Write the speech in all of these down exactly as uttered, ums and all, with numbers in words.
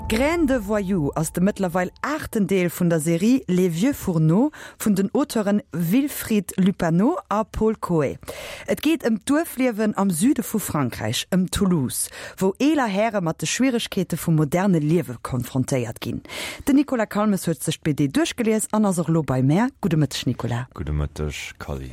Graines de voyous ass de mëttlerweil aachten Deel vun der Serie Les vieux fourneaux vun den Auteuren Wilfried Lupano a Paul Cauuet. Et geet ëm d'Duerfliewen am Süde vu Frankräich, ëm Toulouse, wou eeler Häre mat de Schwieregkeete vum moderne Liewe konfrontéiert ginn. Den Nicolas Calmes huet sech d'B D duerchgelies an ass och elo bei mär. Gudde Mëtteg, Nicolas. Gudde Mëtteg, Kally.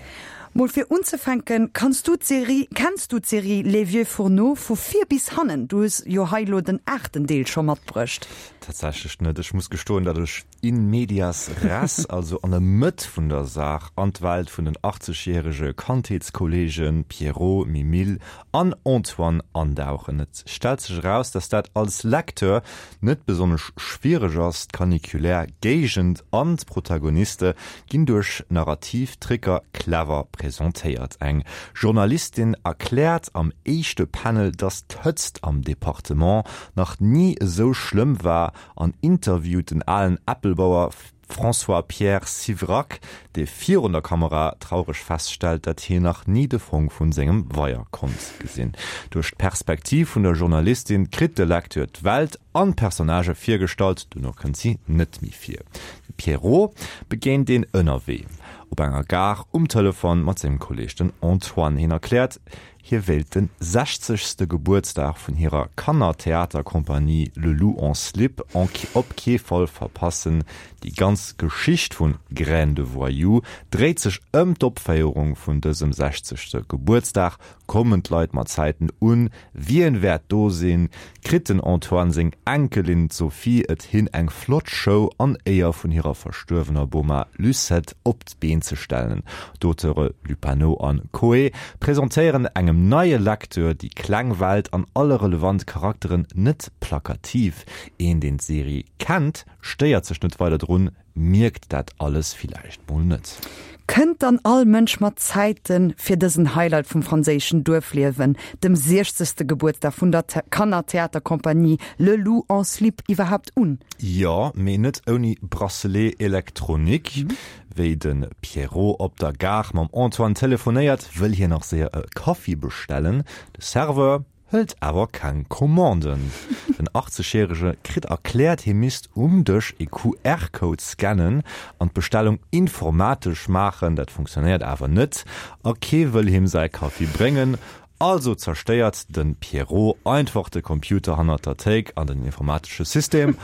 Mol fir unzefänken, kanns du d'Serie, kenns du d'Serie Les vieux fourneaux vu vir bis hannen? Du hues jo hei lo den aachten Deel scho matbruecht. Tatsächlech net. Ech muss gestoen, datt ech in medias res, also an der Mëtt vun der Saach, an d'Welt vun den achtzegjärege Kandheetskolleegen Pierrot, Mimile an Antoine andauchen. Et stellt sech eraus, datt dat als Lecteur net besonnesch schwiereg ass, D'caniculär Géigend an d'Protagoniste ginn duerch narrativ Tricker clever presentéiert. Eng Journalistin erkläert am éischte Panel, datt d'Hëtzt am Departement nach ni esou schlëmm war an interviewt den alen Äppelbauer François-Pierre Sivrac, dee virun der Kamera traureg feststellt, datt hien nach ni de Fong vun sengem Weier konnt gesinn. Duerch d'Perspektiv vun der Journalistin kritt de Lecteur d'Welt an d'Personnagë virgestallt, duerno kënnt si net méi vir. De Pierrot begéint een ënnerwee op enger Gare um Telefon mat sengem Kolleeg den Antoine. Hien erkläert, hie wéilt de sechzegste Gebuertsdag vun hirer Kannertheaterkompanie Le Loup en Slip op kee Fall verpassen. Déi ganz Geschicht vun Graines de voyous dréit sech ëm d'Opféierung vun dësem sechzegste Gebuertsdag. Kommen d'Leit mat Zäiten un? Wien wäert do sinn? Kritt den Antoine seng Enkelin d'Sophie et hin eng flott Show an Éier vun hirer verstuerwener Boma Lucette op d'Been ze stellen? D'Auteure Lupano an Cauuet presentéieren engem neie Lecteur déi kleng Welt an alle relevant Charakteren net plakativ. Een deen d'Serie kennt, stéiert sech net weider drun, mierkt dat alles villäicht mol net. Kënnt dann all Mënsch mat Zäiten fir dësen Highlight vum franséischen Duerfliewen, dem siechzegste Gebuertsdag vun der Kannertheaterkompanie Le Loup en Slip iwwerhaapt un? Jo, mee net ouni Bracelet électronique. Wéi de Pierrot op der Gare mam Antoine telefonéiert, wëll hien nach séier e Kaffi bestellen. De Serveur hëlt awer keng Commanden. Den achtzegjärege kritt erkläert, hie misst um Dësch e Q R-Code scannen an d'Bestellung informatesch maachen. Dat funktionéiert awer net a kee wëll him säi Kaffi bréngen. Also zerstéiert de Pierrot einfach de Computer hannert der Théik an den informatesche System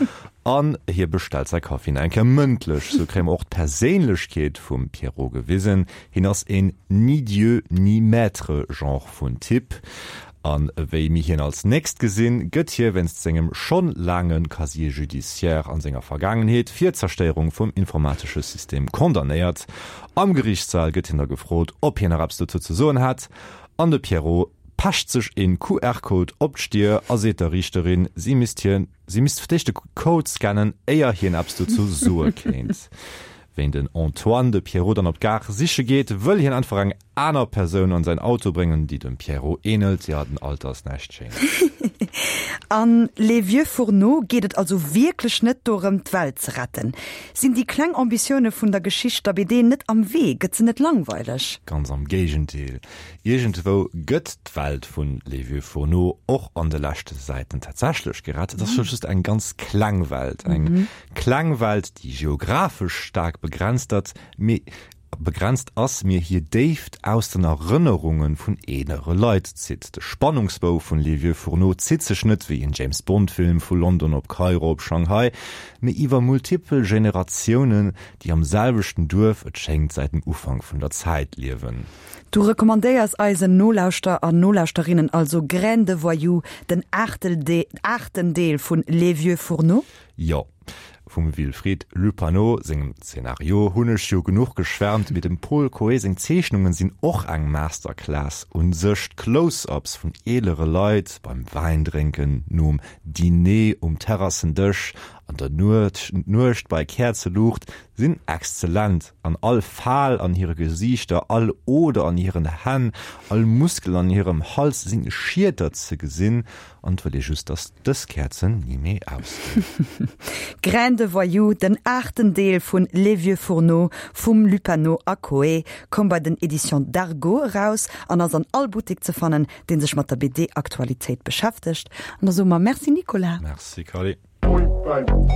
an hie bestellt säi Kaffi nach eng Kéier mëndlech. Sou kréie mer och d'Perséinlechkeet vum Pierrot gewisen. Hien ass een ni Dieu ni maître Genre vun Typ. An wéi mir hien als nächst gesinn, gëtt hie wéinst sengem schonn laange Casier judiciaire an senger Vergaangenheet fir d'Zerstéierung vum informatesche System condamnéiert. Am Geriichtssall gëtt hien da gefrot, ob hien nach eppes dozou ze soen hätt, an de Pierrot pecht sech een Q R-Code op d'Stier a seet der Riichterin, si misst hien si misst fir d'éischt de Code scannen, éier hien eppes dozou soe kéint. Wéi den Antoine de Pierrot dann op d'Gare siche geet, wëll hien einfach eng aner Persoun an säin Auto bréngen, déi dem Pierrot änelt. Jo, den Alter ass näischt Schéines. An Les vieux fourneaux geet et also wierklech net dorëm, d'Welt ze retten. Sinn déi kleng Ambitioune vun der Geschicht der B D net am Wee? Gëtt se net langweileg? Ganz am Géigendeel. Iergendwou gëtt d'Welt vun Les vieux fourneaux och an de leschte Säiten tatsächlech gerett. Et ass scho just eng ganz kleng Welt. Eng kleng Welt, déi geographesch staark begrenzt ass, mee begrenzt ass, mee hir Déift aus den Erënnerunge vun eelere Leit zitt. De Spannungsbou vun Les vieux fourneaux zitt sech net wéi en James Bond Film vu London op Kairo op Shanghai, mee iwwer multipel Generatiounen, déi am selwechten Duerf, et schéngt säit dem Ufank vun der Zäit, liewen. Du recommandéiers eisen Nolauschterer an Nolauschterinnen also Graines de voyous, den aachten Deel vun Les vieux fourneaux? Jo. Vum Wilfried Lupano sengem Zenario hunn ech jo genuch geschwärmt, mee dem Paul Cauuet seng Zeechnungen sinn och eng Masterclass un sech. D'Close-ups vun eelere Leit beim Wäindrénken, nom Diner um Terrassendësch, an der Nuecht bei Käerzeluucht sinn exzellent. An all Fal an hire Gesiichter, all Oder an hiren Hänn, all Muskel an hirem Hals sinn Schieter ze gesinn an et wëll ee just, dass dës Käerzen ni méi ausginn. Graines de voyous, den aachten Deel vun Les vieux fourneaux vum Lupano a Cauuet, koum bei den Éditions Dargaud eraus an ass an all Buttek ze fannen, dee sech mat der B D-Aktualitéit beschäftegt. An da soe mer Merci Nicolas. Merci Carly. Bye.